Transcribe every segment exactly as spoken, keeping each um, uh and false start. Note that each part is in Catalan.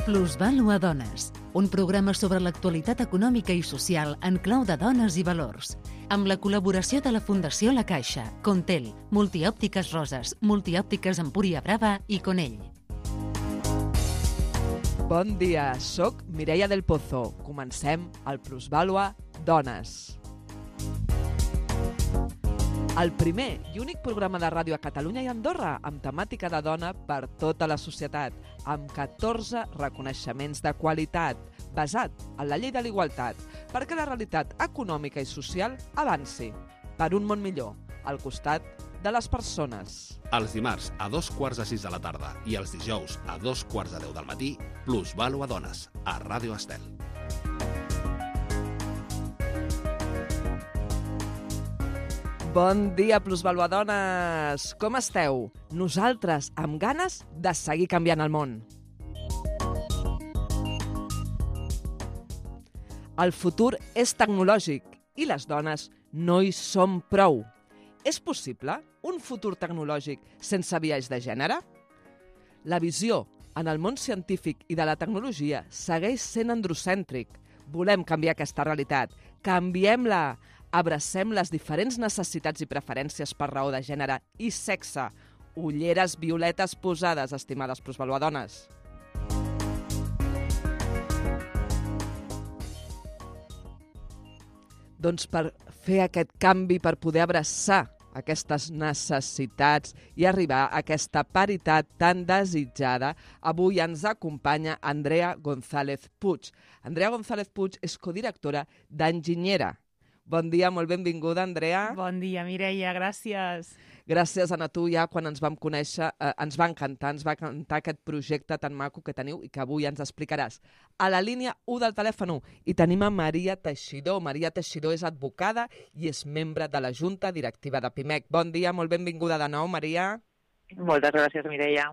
Plusvàlua Dones, un programa sobre l'actualitat econòmica i social en clau de dones i valors, amb la col·laboració de la Fundació La Caixa, Contel, Multiòptiques Roses, Multiòptiques Empúria Brava i Conell. Bon dia, soc Mireia del Pozo. Comencem el Plusvàlua Dones. El primer i únic programa de ràdio a Catalunya i Andorra amb temàtica de dona per tota la societat, amb catorze reconeixements de qualitat, basat en la llei de l'igualtat, perquè la realitat econòmica i social avanci per un món millor, al costat de les persones. Els dimarts a dos quarts de sis de la tarda i els dijous a dos quarts de deu del matí, Plusvàlua Dones, a Ràdio Estel. Bon dia, Plusvàlua Dones! Com esteu? Nosaltres amb ganes de seguir canviant el món. El futur és tecnològic i les dones no hi som prou. És possible un futur tecnològic sense biaix de gènere? La visió en el món científic i de la tecnologia segueix sent androcèntric. Volem canviar aquesta realitat. Canviem-la! Abracem les diferents necessitats i preferències per raó de gènere i sexe. Ulleres violetes posades, estimades Plusvàlua Dones. Doncs per fer aquest canvi, per poder abraçar aquestes necessitats i arribar a aquesta paritat tan desitjada, avui ens acompanya Andrea González Puig. Andrea González Puig és codirectora d'Enginyera. Bon dia, molt benvinguda, Andrea. Bon dia, Mireia, gràcies. Gràcies a tu, ja quan ens vam conèixer, eh, ens va encantar, ens va encantar aquest projecte tan maco que teniu i que avui ens explicaràs. A la línia u del telèfon i tenim a Maria Teixidor. Maria Teixidor és advocada i és membre de la Junta Directiva de Pimec. Bon dia, molt benvinguda de nou, Maria. Moltes gràcies, Mireia.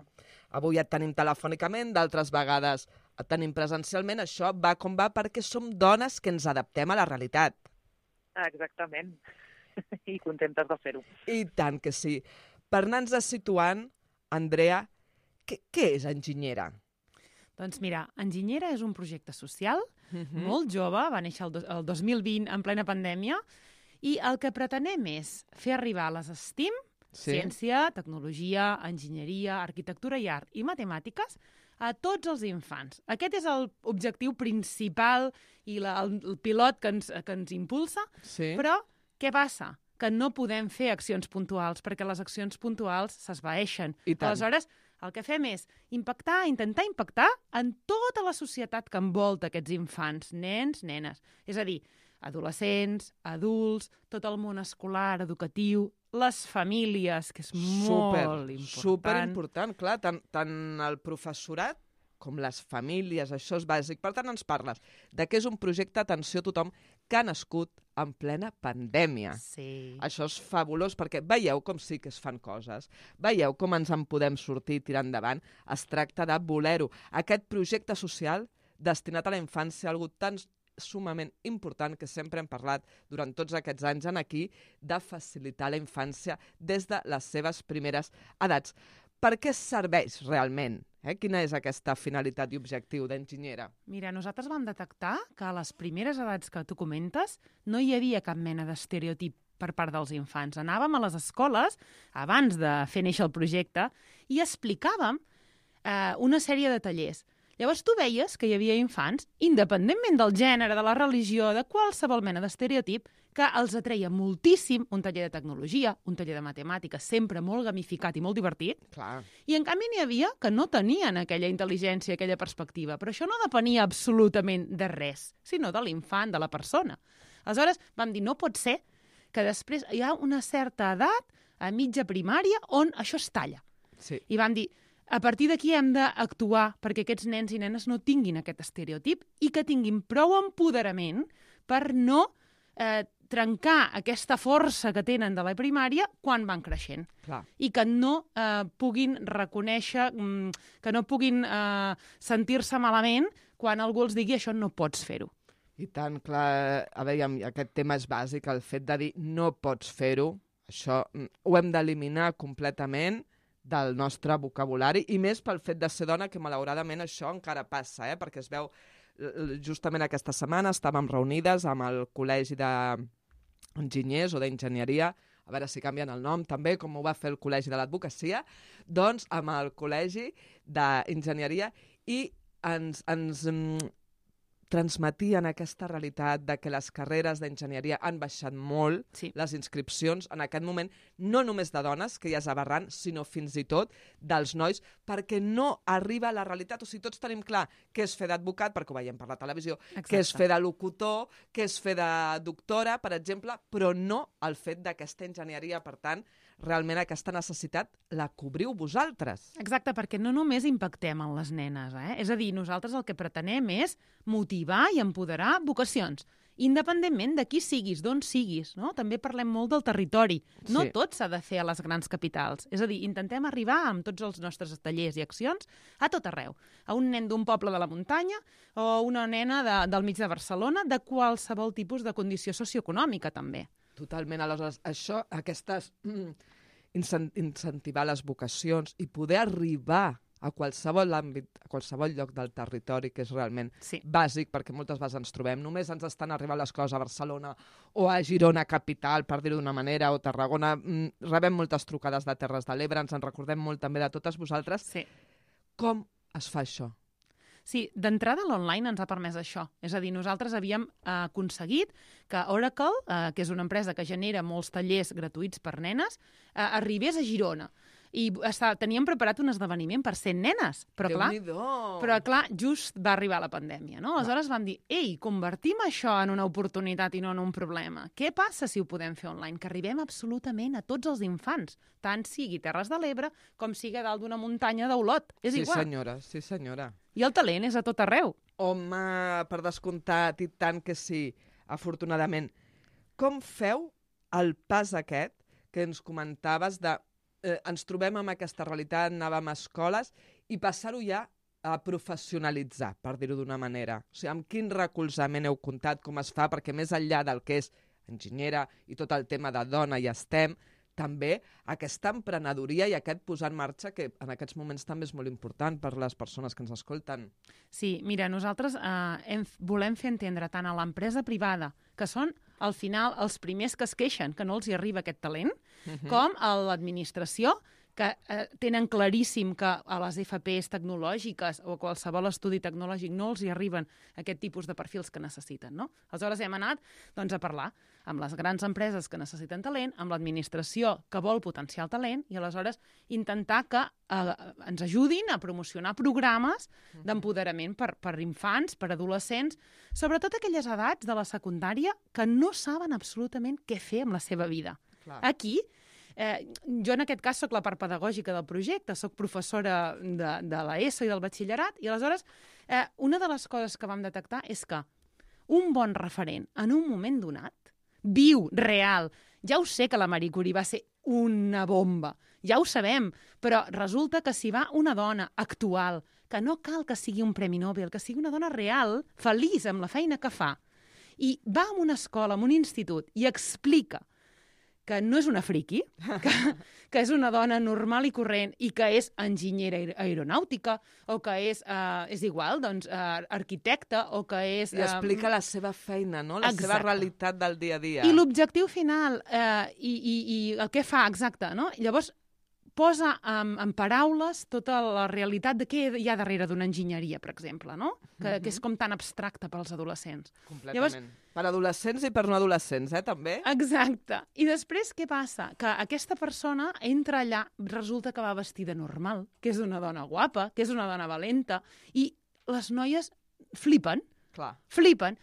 Avui et tenim telefònicament, d'altres vegades et tenim presencialment. Això va com va perquè som dones que ens adaptem a la realitat. Exactament. I contentes de fer-ho. I tant que sí. Per anar-nos situant, Andrea, què, què és Enginyera? Doncs mira, Enginyera és un projecte social, Uh-huh. molt jove, va néixer el, do, el dos mil vint en plena pandèmia, i el que pretenem és fer arribar les STEAM, Sí. ciència, tecnologia, enginyeria, arquitectura i art i matemàtiques, a tots els infants. Aquest és l'objectiu principal i la, el, el pilot que ens, que ens impulsa, Sí. però què passa? Que no podem fer accions puntuals, perquè les accions puntuals s'esvaeixen. I tant. Aleshores, el que fem és impactar, intentar impactar en tota la societat que envolta aquests infants, nens, nenes. És a dir, adolescents, adults, tot el món escolar, educatiu, les famílies, que és Super, molt important. superimportant, clar, tant, tant el professorat com les famílies, això és bàsic. Per tant, ens parles de que és un projecte, atenció a tothom, que ha nascut en plena pandèmia. Sí. Això és fabulós perquè veieu com sí que es fan coses, veieu com ens en podem sortir i tirar endavant. Es tracta de voler-ho. Aquest projecte social destinat a la infància, algo tan sumament important que sempre hem parlat durant tots aquests anys en aquí, de facilitar la infància des de les seves primeres edats. Per què serveix realment? Eh? Quina és aquesta finalitat i objectiu d'Enginyera? Mira, nosaltres vam detectar que a les primeres edats que tu comentes no hi havia cap mena d'estereotip per part dels infants. Anàvem a les escoles, abans de fer néixer el projecte, i explicàvem eh, una sèrie de tallers. Llavors tu veies que hi havia infants, independentment del gènere, de la religió, de qualsevol mena d'estereotip, que els atreia moltíssim un taller de tecnologia, un taller de matemàtiques, sempre molt gamificat i molt divertit, Clar. i en canvi n'hi havia que no tenien aquella intel·ligència, aquella perspectiva. Però això no depenia absolutament de res, sinó de l'infant, de la persona. Aleshores vam dir, no pot ser que després hi ha una certa edat, a mitja primària, on això es talla. Sí. I vam dir, a partir d'aquí hem d'actuar perquè aquests nens i nenes no tinguin aquest estereotip i que tinguin prou empoderament per no eh, trencar aquesta força que tenen de la primària quan van creixent. Clar. I que no eh, puguin reconèixer, mm, que no puguin eh, sentir-se malament quan algú els digui això no pots fer-ho. I tant, clar, a veure, aquest tema és bàsic, el fet de dir no pots fer-ho, això mm, ho hem d'eliminar completament del nostre vocabulari, i més pel fet de ser dona, que malauradament això encara passa, eh? Perquè es veu, justament aquesta setmana estàvem reunides amb el Col·legi d'Enginyers o d'Enginyeria, a veure si canvien el nom també, com ho va fer el Col·legi de l'Advocacia, doncs amb el Col·legi d'Enginyeria, i ens, ens mm, transmetien aquesta realitat de que les carreres d'enginyeria han baixat molt, Sí. les inscripcions en aquest moment, no només de dones, que ja és aberrant, sinó fins i tot dels nois, perquè no arriba a la realitat. O sigui, tots tenim clar què és fer d'advocat, perquè ho veiem per la televisió, Exacte. què és fer de locutor, què és fer de doctora, per exemple, però no el fet d'aquesta enginyeria. Per tant, realment aquesta necessitat la cobriu vosaltres. Exacte, perquè no només impactem en les nenes, eh? És a dir, nosaltres el que pretenem és motivar i empoderar vocacions, independentment de qui siguis, d'on siguis, no? També parlem molt del territori. No Sí. tot s'ha de fer a les grans capitals. És a dir, intentem arribar amb tots els nostres tallers i accions a tot arreu. A un nen d'un poble de la muntanya o una nena de, del mig de Barcelona, de qualsevol tipus de condició socioeconòmica, també. Totalment. Aleshores, això, aquestes... Mm, incen- incentivar les vocacions i poder arribar a qualsevol àmbit, a qualsevol lloc del territori, que és realment Sí. bàsic, perquè moltes vegades ens trobem, només ens estan arribant les coses a Barcelona o a Girona capital, per dir-ho d'una manera, o Tarragona. Mm, rebem moltes trucades de Terres de l'Ebre, ens en recordem molt també de totes vosaltres. Sí. Com es fa això? Sí, d'entrada l'online ens ha permès això. És a dir, nosaltres havíem eh, aconseguit que Oracle, eh, que és una empresa que genera molts tallers gratuïts per nenes, eh, arribés a Girona. I està, teníem preparat un esdeveniment per cent nenes, però clar, Déu-n'hi-do! però clar, just va arribar la pandèmia, no? Aleshores vam dir, ei, convertim això en una oportunitat i no en un problema. Què passa si ho podem fer online? Que arribem absolutament a tots els infants, tant sigui Terres de l'Ebre com sigui a dalt d'una muntanya d'Olot. És Sí, igual. senyora, sí, senyora. I el talent és a tot arreu. Home, per descomptat, i tant que sí, afortunadament. Com feu el pas aquest que ens comentaves de eh, ens trobem amb aquesta realitat, anàvem a escoles, i passar-ho ja a professionalitzar, per dir-ho d'una manera? O sigui, amb quin recolzament heu comptat, com es fa, perquè més enllà del que és enginyera i tot el tema de dona i STEM, també aquesta emprenedoria i aquest posar en marxa, que en aquests moments també és molt important per les persones que ens escolten. Sí, mira, nosaltres eh, hem, volem fer entendre tant a l'empresa privada, que són, al final, els primers que es queixen que no els hi arriba aquest talent, Mhm. com a l'administració, que eh, tenen claríssim que a les F Ps tecnològiques o a qualsevol estudi tecnològic no els hi arriben aquest tipus de perfils que necessiten, no? Aleshores hem anat doncs, a parlar amb les grans empreses que necessiten talent, amb l'administració que vol potenciar el talent, i aleshores intentar que eh, ens ajudin a promocionar programes d'empoderament per, per infants, per adolescents, sobretot aquelles edats de la secundària que no saben absolutament què fer amb la seva vida. Clar. Aquí, eh, jo en aquest cas sóc la part pedagògica del projecte, sóc professora de, de l'ESO i del batxillerat, i aleshores eh, una de les coses que vam detectar és que un bon referent en un moment donat, viu, real, ja ho sé que la Marie Curie va ser una bomba, ja ho sabem, però resulta que si va una dona actual, que no cal que sigui un Premi Nobel, que sigui una dona real, feliç amb la feina que fa, i va a una escola, a un institut, i explica que no és una friqui, que, que és una dona normal i corrent i que és enginyera aer- aeronàutica o que és, eh, és igual, doncs, eh, arquitecta o que és... I explica la seva feina, no? La seva Exacte. realitat del dia a dia. I l'objectiu final, eh, i, i, i el que fa, exacte, no? Llavors, posa en, en paraules tota la realitat de què hi ha darrere d'una enginyeria, per exemple, no? Que, que és com tan abstracte pels adolescents. Completament. Llavors- Per adolescents i per no adolescents, eh, també? Exacte. I després què passa? Que aquesta persona entra allà, resulta que va vestida normal, que és una dona guapa, que és una dona valenta, i les noies flipen, Clar. flipen.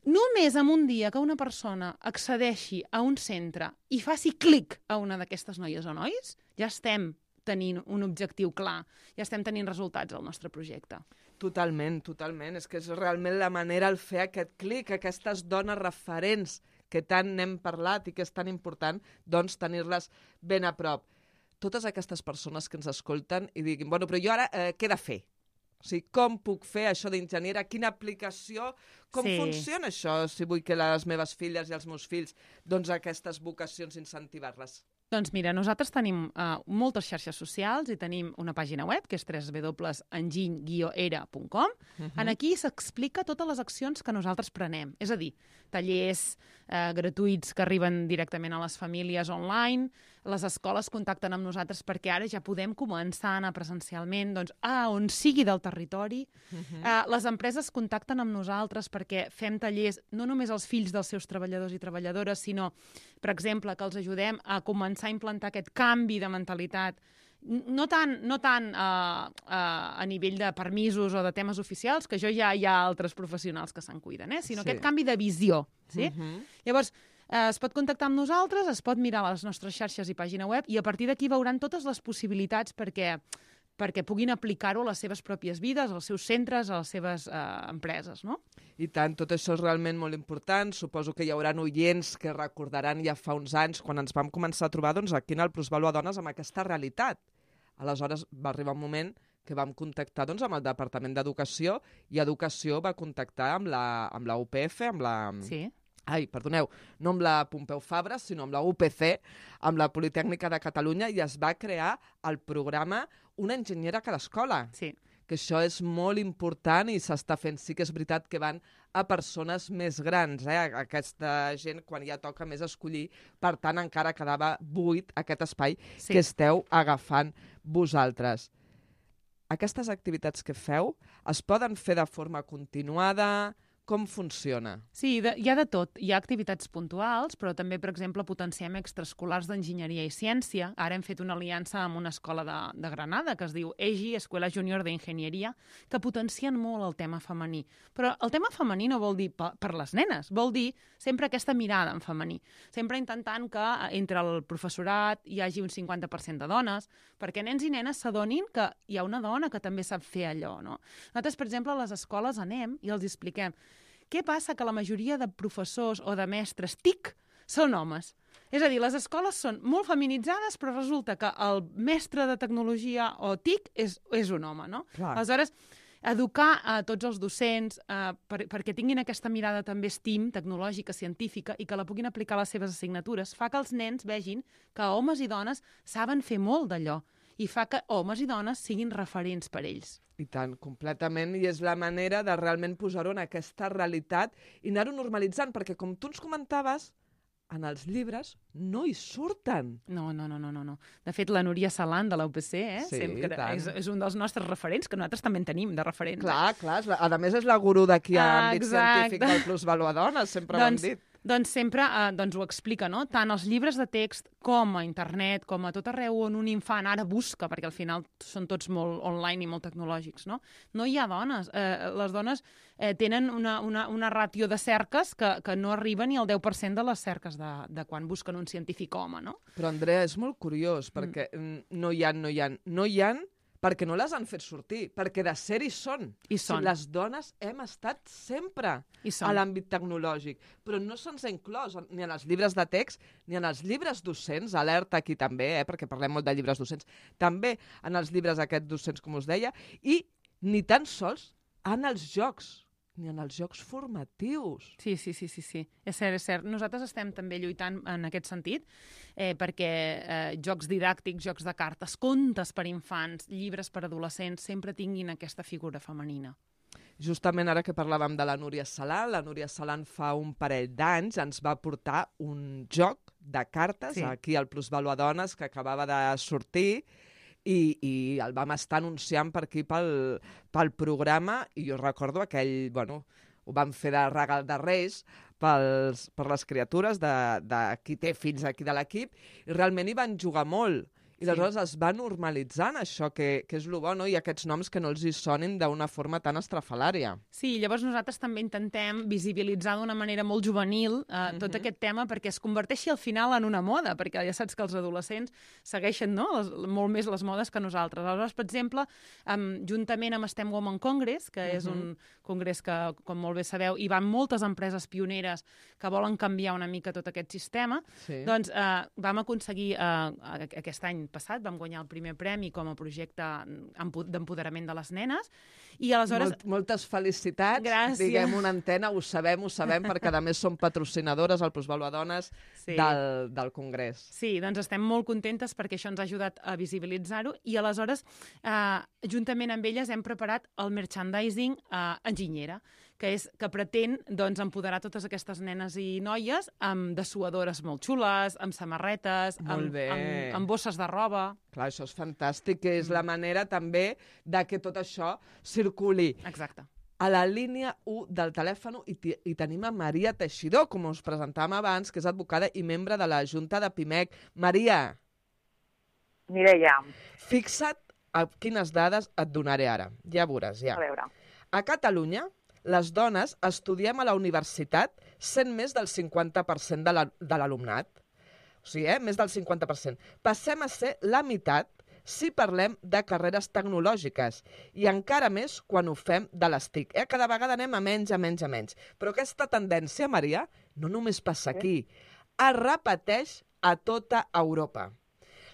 Només en un dia que una persona accedeixi a un centre i faci clic a una d'aquestes noies o nois, ja estem tenint un objectiu clar, ja estem tenint resultats al nostre projecte. Totalment, totalment. És que és realment la manera el fer aquest clic, aquestes dones referents que tant n'hem parlat i que és tan important, doncs tenir-les ben a prop. Totes aquestes persones que ens escolten i diguin, bueno, però jo ara eh, què he de fer? O sigui, com puc fer això d'enginyera? Quina aplicació? Com Sí. funciona això si vull que les meves filles i els meus fills, doncs aquestes vocacions incentivar-les? Doncs mira, nosaltres tenim uh, moltes xarxes socials i tenim una pàgina web, que és w w w punt enginy guió era punt com. Uh -huh. En aquí s'explica totes les accions que nosaltres prenem. És a dir, tallers eh, gratuïts que arriben directament a les famílies online, les escoles contacten amb nosaltres perquè ara ja podem començar a anar presencialment doncs, a on sigui del territori. Uh -huh. eh, les empreses contacten amb nosaltres perquè fem tallers no només als fills dels seus treballadors i treballadores, sinó, per exemple, que els ajudem a començar a implantar aquest canvi de mentalitat, no tant, no tant uh, uh, a nivell de permisos o de temes oficials, que això ja hi ha altres professionals que se'n cuiden, eh? sinó sí. aquest canvi de visió. Sí? Uh -huh. Llavors, eh, es pot contactar amb nosaltres, es pot mirar les nostres xarxes i pàgina web i a partir d'aquí veuran totes les possibilitats perquè perquè puguin aplicar-ho a les seves pròpies vides, als seus centres, a les seves eh, empreses, no? I tant, tot això és realment molt important. Suposo que hi haurà oients que recordaran ja fa uns anys, quan ens vam començar a trobar doncs, aquí en el Plusvalua Dones, amb aquesta realitat. Aleshores va arribar un moment que vam contactar doncs, amb el Departament d'Educació i Educació va contactar amb la, amb la U P F, amb la... Sí. Ai, perdoneu, no amb la Pompeu Fabra, sinó amb la U P C, amb la Politècnica de Catalunya, i es va crear el programa Una enginyera a cada escola. Sí. Que això és molt important i s'està fent. Sí que és veritat que van a persones més grans, eh? Aquesta gent, quan ja toca més escollir, per tant, encara quedava buit aquest espai Sí. que esteu agafant vosaltres. Aquestes activitats que feu es poden fer de forma continuada? Com funciona? Sí, de, hi ha de tot. Hi ha activitats puntuals, però també, per exemple, potenciem extraescolars d'enginyeria i ciència. Ara hem fet una aliança amb una escola de, de Granada que es diu E G I, Escuela Junior de Ingenieria, que potencien molt el tema femení. Però el tema femení no vol dir per, per les nenes, vol dir sempre aquesta mirada en femení. Sempre intentant que entre el professorat hi hagi un cinquanta per cent de dones, perquè nens i nenes s'adonin que hi ha una dona que també sap fer allò, no? Nosaltres, per exemple, a les escoles anem i els expliquem què passa que la majoria de professors o de mestres T I C són homes. És a dir, les escoles són molt feminitzades, però resulta que el mestre de tecnologia o T I C és, és un home, no? Clar. Aleshores, educar a tots els docents eh, per, perquè tinguin aquesta mirada també STEAM, tecnològica, científica, i que la puguin aplicar a les seves assignatures, fa que els nens vegin que homes i dones saben fer molt d'allò i fa que homes i dones siguin referents per ells. I tant, completament, i és la manera de realment posar-ho en aquesta realitat i anar-ho normalitzant, perquè com tu ens comentaves, en els llibres no hi surten. No, no, no, no, no. no. De fet, la Núria Salan de la U P C eh, Sí, sempre tant. és, és un dels nostres referents, que nosaltres també en tenim de referents. Clar, clar, és la, a més és la gurú d'aquí a Ah, àmbit exacte. científic del Plusvalua Dones, sempre doncs, ho hem dit. Doncs sempre eh, doncs ho explica, no? Tant els llibres de text com a internet, com a tot arreu on un infant ara busca, perquè al final són tots molt online i molt tecnològics, no? No hi ha dones. Eh, les dones eh, tenen una, una, una ràtio de cerques que, que no arriba ni al deu per cent de les cerques de, de quan busquen un científic home, no? Però, Andrea, és molt curiós, perquè mm. no hi ha, no hi ha, no hi ha, perquè no les han fet sortir, perquè de ser hi són. I són. Si les dones hem estat sempre I són. a l'àmbit tecnològic, però no se'ns ha inclòs ni en els llibres de text ni en els llibres docents, alerta aquí també, eh, perquè parlem molt de llibres docents, també en els llibres aquests docents, com us deia, i ni tan sols en els jocs, ni en els jocs formatius. Sí, sí, sí, sí, sí. És cert, és cert. Nosaltres estem també lluitant en aquest sentit, eh, perquè eh, jocs didàctics, jocs de cartes, contes per infants, llibres per adolescents, sempre tinguin aquesta figura femenina. Justament ara que parlàvem de la Núria Salan, la Núria Salan fa un parell d'anys ens va portar un joc de cartes Sí. aquí al Plusvalua Dones que acabava de sortir i, i el vam estar anunciant per aquí pel, pel programa i jo recordo aquell, bueno, ho vam fer de regal de Reis pels, per les criatures de, de qui té fills aquí de l'equip i realment hi van jugar molt. I Sí. aleshores es va normalitzant això, que, que és el bo, no? I aquests noms que no els hi sonin d'una forma tan estrafalària. Sí, llavors nosaltres també intentem visibilitzar d'una manera molt juvenil eh, tot Mhm. aquest tema perquè es converteixi al final en una moda, perquè ja saps que els adolescents segueixen no? les, molt més les modes que nosaltres. Aleshores, per exemple, um, juntament amb STEM Women Congress, que és un congrés que, com molt bé sabeu, hi van moltes empreses pioneres que volen canviar una mica tot aquest sistema, Sí. doncs eh, vam aconseguir eh, aquest any l'any passat vam guanyar el primer premi com a projecte d'empoderament de les nenes, i aleshores... Molt, moltes felicitats. Gràcies. Diguem una antena, ho sabem, ho sabem, perquè a més som patrocinadores al Plusvàlua Dones Sí. del, del Congrés. Sí, doncs estem molt contentes perquè això ens ha ajudat a visibilitzar-ho, i aleshores, eh, juntament amb elles, hem preparat el merchandising eh, enginyera, que és que pretén doncs, empoderar totes aquestes nenes i noies amb dessuadores molt xules, amb samarretes, Molt amb, bé. amb, amb bosses de roba. Clar, això és fantàstic, que és la manera també de que tot això circuli. Exacte. A la línia u del telèfon i, i tenim a Maria Teixidor, com us presentàvem abans, que és advocada i membre de la Junta de Pimec. Maria, Mireia, fixa't a quines dades et donaré ara. Ja veuràs, ja. a veure. A Catalunya, les dones estudiem a la universitat sent més del cinquanta per cent de la- de l'alumnat. O sigui, eh? més del cinquanta per cent. Passem a ser la meitat si parlem de carreres tecnològiques, i encara més quan ho fem de les T I C. Eh? Cada vegada anem a menys, a menys, a menys. Però aquesta tendència, Maria, no només passa aquí, es repeteix a tota Europa.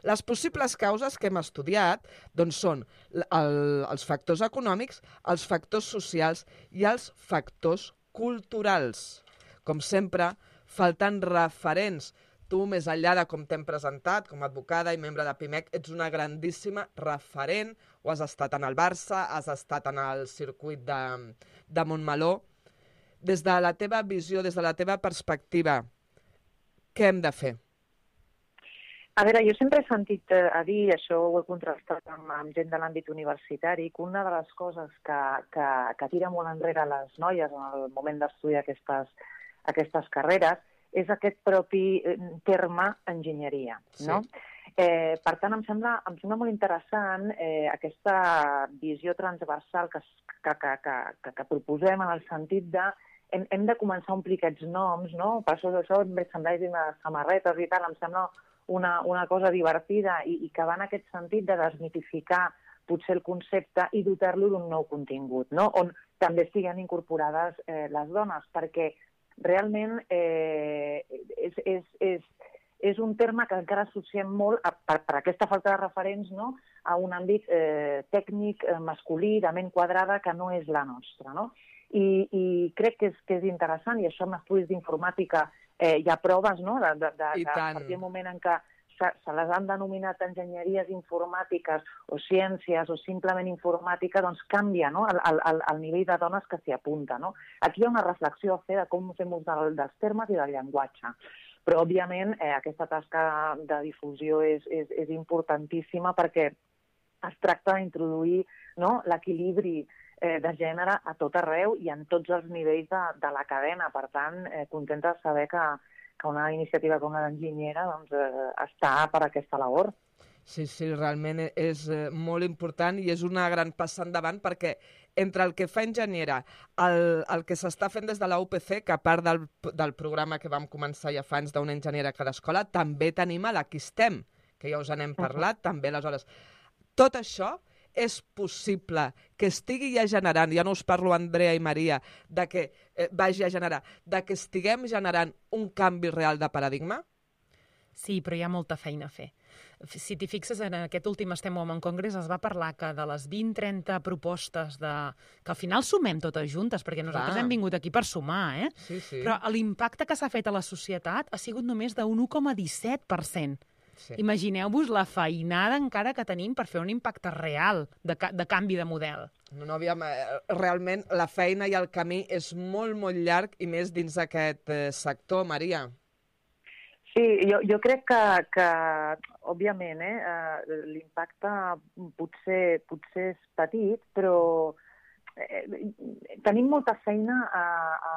Les possibles causes que hem estudiat doncs, són l- el, els factors econòmics, els factors socials i els factors culturals. Com sempre, falten referents. Tu, més enllà de com t'hem presentat, com a advocada i membre de Pimec, ets una grandíssima referent, o has estat en el Barça, has estat en el circuit de, de Montmeló. Des de la teva visió, des de la teva perspectiva, què hem de fer? A veure, jo sempre he sentit eh, a dir, això ho he contrastat amb, amb gent de l'àmbit universitari, que una de les coses que, que, que tira molt enrere les noies en el moment d'estudiar aquestes, aquestes carreres és aquest propi eh, terme enginyeria, no? Sí. Eh, per tant, em sembla, em sembla molt interessant eh, aquesta visió transversal que, es- que, que, que, que, que proposem en el sentit de hem, hem de començar a omplir aquests noms, no? Per això d'això, merchandising de samarretes i tal, em sembla una, una cosa divertida i, i que va en aquest sentit de desmitificar potser el concepte i dotar-lo d'un nou contingut, no? On també estiguin incorporades eh, les dones, perquè realment eh, és, és, és, és un terme que encara associem molt a, per, per aquesta falta de referents, no? A un àmbit eh, tècnic, eh, masculí, de ment quadrada, que no és la nostra, no? I, i crec que és, que és interessant, i això amb estudis d'informàtica eh, hi ha proves, no? De, de, de, I de, tant. a partir del moment en què se, se les han denominat enginyeries informàtiques o ciències o simplement informàtica, doncs canvia, no? el, el, el nivell de dones que s'hi apunta, no? Aquí hi ha una reflexió a fer de com fem ús del, dels termes i del llenguatge. Però, òbviament, eh, aquesta tasca de difusió és, és, és importantíssima perquè es tracta d'introduir, no? l'equilibri eh, de gènere a tot arreu i en tots els nivells de, de la cadena. Per tant, eh, contenta de saber que, que una iniciativa com la d'enginyera doncs, eh, està per aquesta labor. Sí, sí, realment és eh, molt important i és una gran passa endavant perquè entre el que fa enginyera, el, el que s'està fent des de la U P C, que a part del, del programa que vam començar ja fa anys d'una enginyera a cada escola, també tenim a l'Aquistem, que ja us n'hem parlat, també aleshores. Tot això és possible que estigui ja generant, ja no us parlo Andrea i Maria, de que eh, vagi a generar, de que estiguem generant un canvi real de paradigma? Sí, però hi ha molta feina a fer. Si t'hi fixes, en aquest últim Estem Women Congress es va parlar que de les vint trenta propostes de... que al final sumem totes juntes, perquè nosaltres Clar. hem vingut aquí per sumar, eh? Sí, sí. Però l'impacte que s'ha fet a la societat ha sigut només d'un u coma disset per cent. Sí. Imagineu-vos la feinada encara que tenim per fer un impacte real de, ca de canvi de model. No, no, aviam, eh, realment la feina i el camí és molt, molt llarg i més dins d'aquest eh, sector, Maria. Sí, jo, jo crec que, que òbviament, eh, eh, l'impacte potser, potser és petit, però eh, tenim molta feina a, a,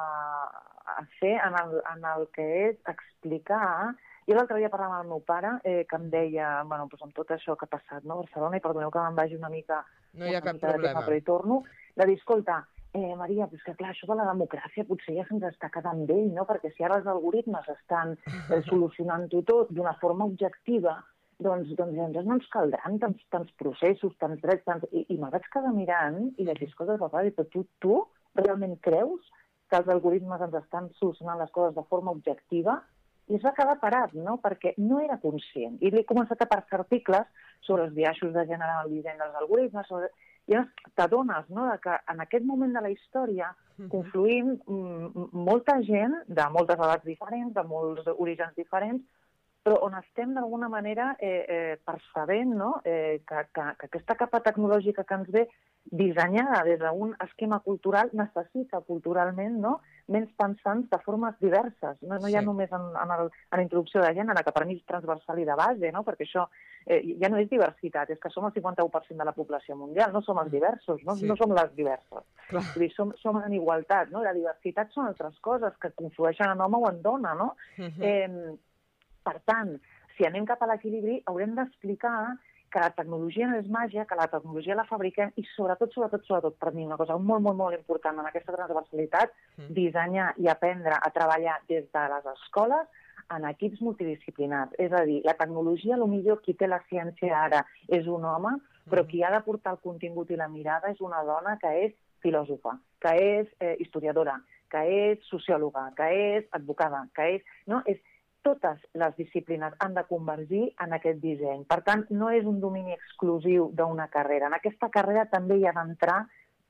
a fer en el, en el que és explicar. Jo l'altre dia parlant amb el meu pare, eh, que em deia, bueno, doncs amb tot això que ha passat, no, a Barcelona, i perdoneu que me'n vagi una mica, No hi ha una cap mica de problema. tema, però hi torno, de dir, escolta, eh, Maria, doncs que clar, això de la democràcia potser ja se'ns està quedant vell, no? Perquè si ara els algoritmes estan eh, solucionant-ho tot d'una forma objectiva, doncs, doncs llavors no ens caldran tants, tants processos, tants drets, tants... I, i me'l vaig quedar mirant i vaig dir, escolta, papa, però tu, tu realment creus que els algoritmes ens estan solucionant les coses de forma objectiva? i es va quedar parat, no? Perquè no era conscient. I li he començat a passar articles sobre els biaixos de gènere en el disseny dels algoritmes, sobre... i t'adones, no?, que en aquest moment de la història confluïm molta gent de moltes edats diferents, de molts orígens diferents, però on estem d'alguna manera eh, eh, percebent, no?, eh, que, que, que aquesta capa tecnològica que ens ve dissenyada des d'un esquema cultural necessita culturalment, no?, menys pensants de formes diverses. No, no hi ha sí. només en, en, el, en la introducció de gènere, que per mi és transversal i de base, no?, perquè això eh, ja no és diversitat, és que som el cinquanta-u per cent de la població mundial, no som els diversos, no, sí. no som les diverses. Clar. Vull dir, som, som en igualtat, no? La diversitat són altres coses que conflueixen en home o en dona, no? Uh-huh. eh, Per tant, si anem cap a l'equilibri, haurem d'explicar que la tecnologia no és màgia, que la tecnologia la fabriquem i sobretot, sobretot, sobretot, per mi una cosa molt, molt, molt important en aquesta transversalitat, mm. dissenyar i aprendre a treballar des de les escoles en equips multidisciplinars. És a dir, la tecnologia, potser qui té la ciència ara és un home, però qui ha de portar el contingut i la mirada és una dona que és filòsofa, que és eh, historiadora, que és sociòloga, que és advocada, que és... No? és totes les disciplines han de convergir en aquest disseny. Per tant, no és un domini exclusiu d'una carrera. En aquesta carrera també hi ha d'entrar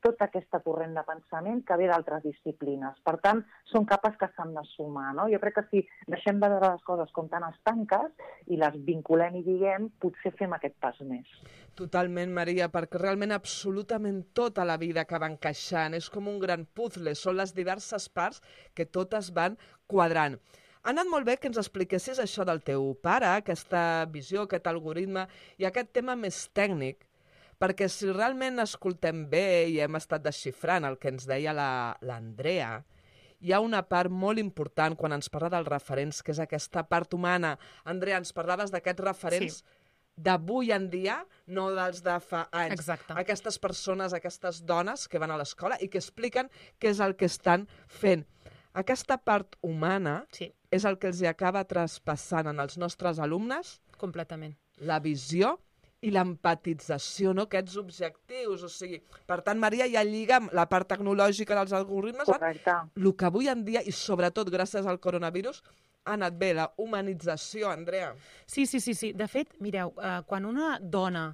tota aquesta corrent de pensament que ve d'altres disciplines. Per tant, són capes que s'han de sumar, no? Jo crec que si deixem de veure les coses com tan estanques i les vinculem i diguem, potser fem aquest pas més. Totalment, Maria, perquè realment absolutament tota la vida acaba encaixant. És com un gran puzzle, són les diverses parts que totes van quadrant. Ha anat molt bé que ens expliquessis això del teu pare, aquesta visió, aquest algoritme i aquest tema més tècnic, perquè si realment escoltem bé i hem estat desxifrant el que ens deia l'Andrea, hi ha una part molt important quan ens parla dels referents, que és aquesta part humana. Andrea, ens parlaves d'aquests referents sí. d'avui en dia, no dels de fa anys. Exacte. Aquestes persones, aquestes dones que van a l'escola i que expliquen què és el que estan fent. Aquesta part humana sí. és el que els acaba traspassant en els nostres alumnes. Completament. La visió i l'empatització, no? Aquests objectius. O sigui, per tant, Maria, ja lliga amb la part tecnològica dels algoritmes. Correcte. El que avui en dia, i sobretot gràcies al coronavirus, ha anat bé, la humanització, Andrea. Sí, sí, sí. sí. De fet, mireu, eh, quan una dona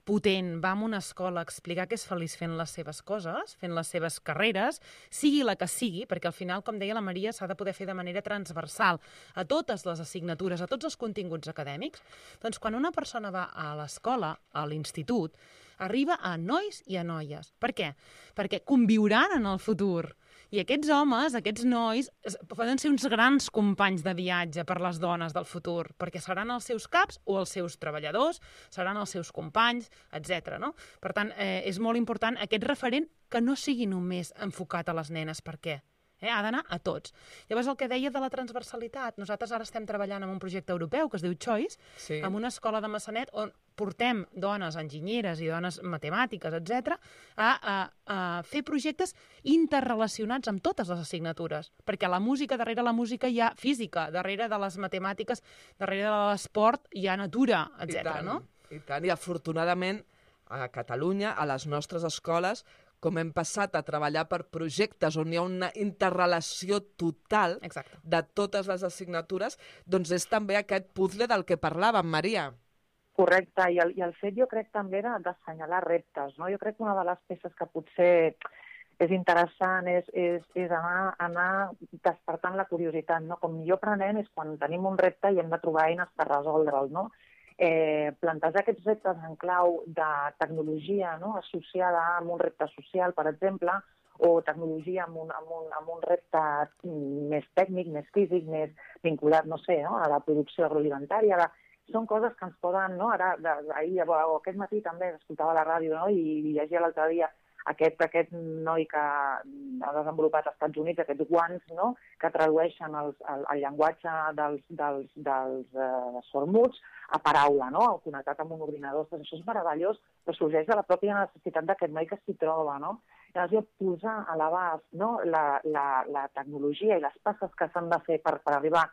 potent va a una escola a explicar que és feliç fent les seves coses, fent les seves carreres, sigui la que sigui, perquè al final, com deia la Maria, s'ha de poder fer de manera transversal a totes les assignatures, a tots els continguts acadèmics, doncs quan una persona va a l'escola, a l'institut, arriba a nois i a noies. Per què? Perquè conviuran en el futur. I aquests homes, aquests nois, poden ser uns grans companys de viatge per les dones del futur, perquè seran els seus caps o els seus treballadors, seran els seus companys, etcètera. No? Per tant, eh, és molt important aquest referent que no sigui només enfocat a les nenes. Per què? Eh, ha d'anar a tots. Llavors, el que deia de la transversalitat, nosaltres ara estem treballant en un projecte europeu que es diu Choice, sí. en una escola de Massanet on portem dones enginyeres i dones matemàtiques, etcètera, a, a, a fer projectes interrelacionats amb totes les assignatures, perquè a la música, darrere la música hi ha física, darrere de les matemàtiques, darrere de l'esport hi ha natura, etcètera. No? I tant, i afortunadament a Catalunya, a les nostres escoles, com hem passat a treballar per projectes on hi ha una interrelació total Exacte. De totes les assignatures, doncs és també aquest puzzle del que parlàvem, Maria. Correcte, i el, i el fet jo crec també d'assenyalar reptes, no? Jo crec que una de les peces que potser és interessant és, és, és anar, anar despertant la curiositat, no? Com millor aprenem és quan tenim un repte i hem de trobar eines per resoldre'l, no? Eh, plantejar aquests reptes en clau de tecnologia, no? Associada amb un repte social, per exemple, o tecnologia amb un, amb un, amb un repte més tècnic, més físic, més vinculat, no sé, no? A la producció agroalimentària. La... Són coses que ens poden, no? Ara, ahir o aquest matí també escoltava la ràdio, no? I llegia l'altre dia aquest, aquest noi que ha desenvolupat als Estats Units, aquests guants, no? Que tradueixen els, el, el llenguatge dels, dels, dels uh, sormuts a paraula, no? Connectat amb un ordinador. Doncs això és meravellós, però sorgeix de la pròpia necessitat d'aquest noi que s'hi troba, no? Llavors, posar a l'abast, no? la, la, la tecnologia i les passes que s'han de fer per, per arribar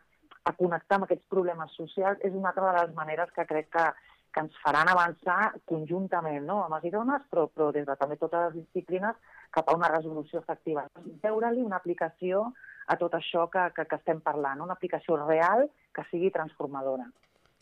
a connectar amb aquests problemes socials és una altra de les maneres que crec que, que ens faran avançar conjuntament, no? Homes i dones, però, però des de també totes les disciplines cap a una resolució efectiva. Veure-li una aplicació a tot això que, que, que estem parlant, una aplicació real que sigui transformadora.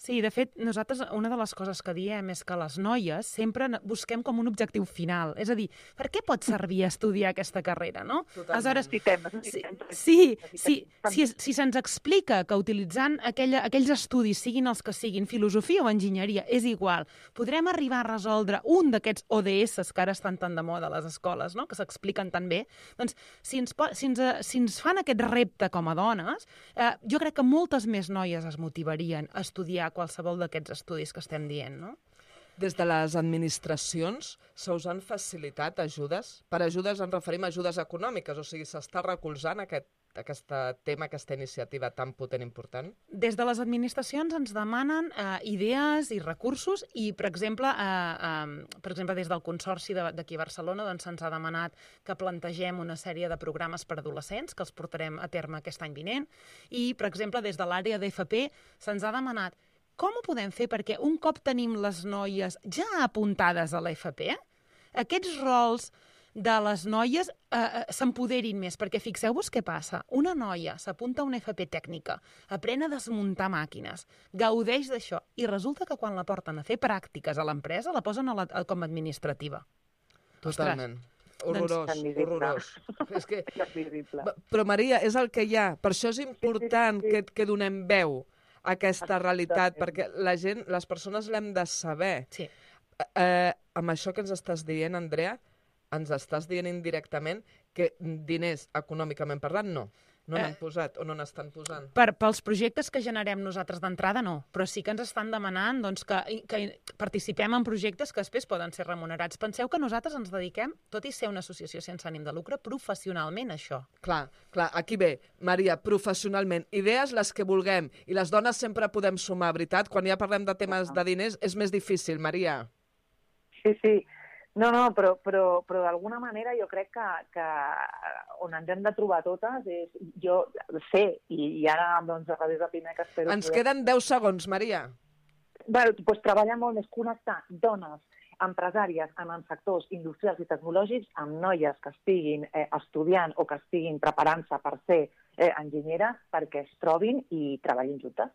Sí, de fet, nosaltres una de les coses que diem és que les noies sempre busquem com un objectiu final. És a dir, per què pot servir estudiar aquesta carrera, no? Totalment. Aleshores, Necessitem, sí, necessitem. sí, sí, si, si se'ns explica que utilitzant aquella, aquells estudis, siguin els que siguin, filosofia o enginyeria, és igual, podrem arribar a resoldre un d'aquests O D S que ara estan tan de moda a les escoles, no? Que s'expliquen tan bé, doncs si ens, si, ens, si ens fan aquest repte com a dones, eh, jo crec que moltes més noies es motivarien a estudiar qualsevol d'aquests estudis que estem dient, no? Des de les administracions se us han facilitat ajudes? Per ajudes ens referim a ajudes econòmiques, o sigui, s'està recolzant aquest, aquest tema, aquesta iniciativa tan potent i important? Des de les administracions ens demanen eh, idees i recursos i, per exemple, eh, eh, per exemple des del Consorci d'aquí a Barcelona doncs, se'ns ha demanat que plantegem una sèrie de programes per adolescents que els portarem a terme aquest any vinent i, per exemple, des de l'àrea d'F P se'ns ha demanat com ho podem fer perquè un cop tenim les noies ja apuntades a l'F P, aquests rols de les noies eh, s'empoderin més, perquè fixeu-vos què passa. Una noia s'apunta a una F P tècnica, aprèn a desmuntar màquines, gaudeix d'això, i resulta que quan la porten a fer pràctiques a l'empresa la posen a la, a, com a administrativa. Totalment. Horrorós, doncs, horrorós. És que... Terrible. Però, Maria, és el que hi ha. Per això és important que, que donem veu a aquesta realitat, perquè la gent, les persones l'hem de saber. Sí. Eh, amb això que ens estàs dient, Andrea, ens estàs dient indirectament que diners, econòmicament parlant, no. No n'han posat o no n'estan posant. Per, pels projectes que generem nosaltres d'entrada, no. Però sí que ens estan demanant doncs, que, que participem en projectes que després poden ser remunerats. Penseu que nosaltres ens dediquem, tot i ser una associació sense ànim de lucre, professionalment a això. Clar, clar, aquí ve, Maria, professionalment, idees les que vulguem, i les dones sempre podem sumar, veritat? Quan ja parlem de temes de diners és més difícil, Maria. Sí, sí. No, no, però, però, però d'alguna manera jo crec que, que on ens hem de trobar totes és, jo sé, i, i ara doncs, a través de Pimec espero... Ens queden deu segons, Maria. Bé, doncs treballar molt més, connectar dones, empresàries en els sectors industrials i tecnològics amb noies que estiguin eh, estudiant o que estiguin preparant-se per ser eh, enginyeres perquè es trobin i treballin juntes.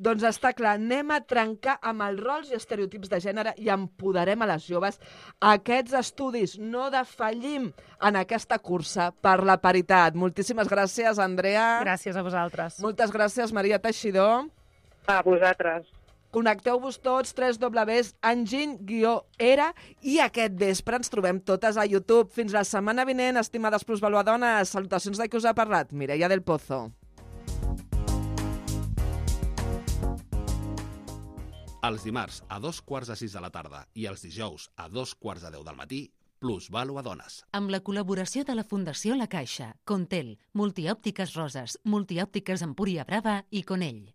Doncs està clar, anem a trencar amb els rols i estereotips de gènere i empoderem a les joves. Aquests estudis no defallim en aquesta cursa per la paritat. Moltíssimes gràcies, Andrea. Gràcies a vosaltres. Moltes gràcies, Maria Teixidor. A vosaltres. Connecteu-vos tots, tres dobles punt enginy guió era, i aquest vespre ens trobem totes a YouTube. Fins la setmana vinent, estimades plusvaluadones. Salutacions de qui us ha parlat, Mireia del Pozo. Els dimarts a dos quarts de sis de la tarda i els dijous a dos quarts de deu del matí, Plusvaluadones. Amb la col·laboració de la Fundació La Caixa, Contel, Multiòptiques Roses, Multiòptiques Empúria Brava i Conell.